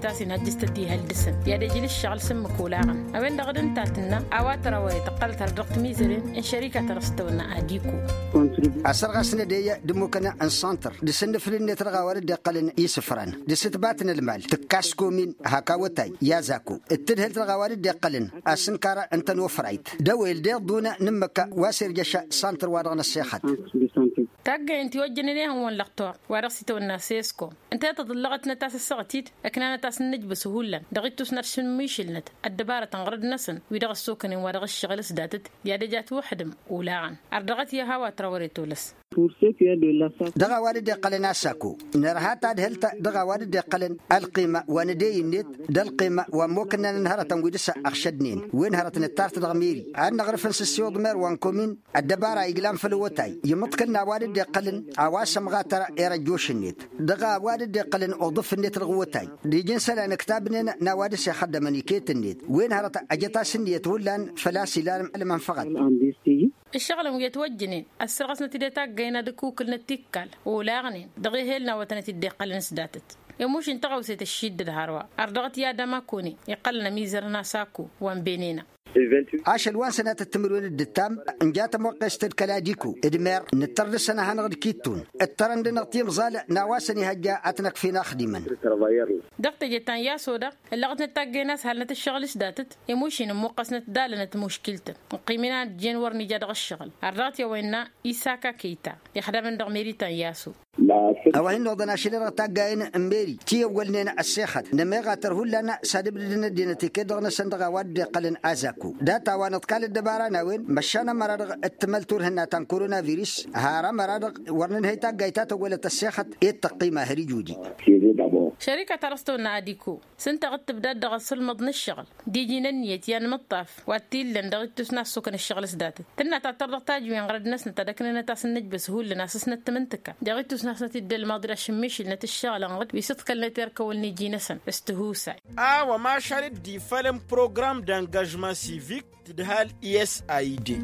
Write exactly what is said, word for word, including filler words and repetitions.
A-s inhăjjăš tăt-ihăl dăɣ-săn i-ad-ijǝl ǝššăɣǝl s-ǝmmǝk olaɣăn a-wen-dăɣ d-ǝnta a tǝnnă a-wa tărăwăyăt ǝqqălăt har dăɣ-timizăren n-šărikatăn dăɣ-s tăwănna adiku. Asărɣas n-edăyy d-ǝmmukăn n-santăr d-asǝnnǝfǝl-net dăɣ-a-wa dd-iqqălăn isǝfran d-asǝtbat n-ălmal tǝkkas komin hak awătay i-azako d-tǝdhǝlt dăɣ-a-wa dd-iqqălăn asǝnkar n-tănofrayt d-ăwel deḍ-dun n-ǝmmǝk wa s-irjăš santăr-wa-dăɣ n-ăssexăt. Taggăyăn tiwăjjănen ihăwăn lăqtor wa dăɣ-s itawănna sesko ǝnta i-tăḍǝllăɣătnăt a-s ăssaɣăt-dd ăknanăt a-s n-nǝjbǝs hullan dăɣ-ittus n-ad-šǝmmišǝlnăt ăddăbarătăn ɣărăd-năsăn wi dăɣ-ăssokănen wa dăɣ-ǝššăɣǝl s-datăt i-ad-ejat wăḥdǝm olaɣăn. Ărdăɣăt i-ad-hawat răwăre tolăs. Dăɣ-a-wa dd-iqqălăn asako nărha tadhǝlt dăɣ-a-wa dd-iqqălăn ălqima wa n-edăy-net d-ălqima wa n-imokănnăn n-hărătăn wi dăɣ-s ăɣšădnen wen hărăt nǝttarăt dăɣ-meri ad-năɣrǝf n-sǝssiwǝḍ mer wa n-komin ăddăbara iglan făll-awătay imǝḍkăl n-a-wa dd-iqqălăn a-wa s-ămɣatăr erăjjoš-net dăɣ-a-wa dd-iqqălăn uḍǝf-net dăɣ-awătay d-iji n-isălan ǝktabnen n-a-wa dăɣ-s ixăddămăn iket-net wen hărăt ăjăt-as ǝnniyăt hullan făl-a-s ilan ălmănfăɣăt. Ǝššăɣǝlăn wi ătwăjjănen ăssărɣăsnăt-dd i-taggăyăn ad-ǝkukǝlnăt tikkal olaɣnen dăɣ-ehel n-awătăn ătidd-iqqălăn s-datăt i-mušin tăɣawset ăššiddăd hărwa ărdăɣăt i-ad-ămakone iqqălăn ămizărăn asako wa n-benena. Ašăl wa n-sănatăt timǝrwen d-ǝttam n-ja tămoqqest d-kăl-adiko d-mer nǝttăr dăɣ-săn a hanăɣ-dd-kittun ǝttărăn-dăɣ timẓal n-a-wa săn ihăjja ad-t-năkfin axdimăn. Dăɣ-teje ta n-yaso-dăɣ ǝllăɣătnăt taggăyăn a-s halnăt ǝššăɣǝl s-datăt i-mušin ǝmmuqqăsnăt dalănăt muškiltăn ǝqqim inan ăjjeen wăr n-ija dăɣ-ǝššăɣǝl. Ărdăɣăt i-a-wa innă isaka kăyta ixdamăn dăɣ-meri ta n-yaso. A-wa hin-noḍăn ašăl-i-dăɣ taggayen n-meri ti ăwwălnen ăssexăt n-ămeɣatăr hullan s-ad-ǝbdǝdăn ăddinăt iket-dăɣ-năsăn dăɣ-a-wa dd-iqqălăn azako. Data-wa nǝḍkal ăddăbara n-a-wen măšan ămăra-dăɣ d-tǝmăl turhǝnna ta n-koronavirus har ămăra-dăɣ wăr nǝnhăy taggayt ta tăwwălăt ăssexăt i-d tăqqima har ijudi. Šărika ta dăɣ-s tăwănna adiko s-ǝnta a dd-tǝbdad dăɣ-asǝlmăḍ n-ǝššăɣǝl d-iji n-ǝnniyăt i-anmǝṭṭaf wa t-illăn dăɣ-ittus n-ad-sokăn ǝššăɣǝl s-datăt tǝnna ta tăr dăɣ-tajǝwen ɣărăd-năsnăt ad-ăknănăt a-s n-nǝjbǝs hullan a-s s-năttămǝntǝka dăɣ-ittus n-ad-săn t-dd-ălmaḍ d-ašǝmmišǝlnăt ǝššăɣǝl ănɣăd wi s-ǝḍkălnăt erkăwăl n-iji-năsăn s-tihusay. A-wa mašal dd-ifălăn program d-angăžma sivik tǝdhal i-s a ide.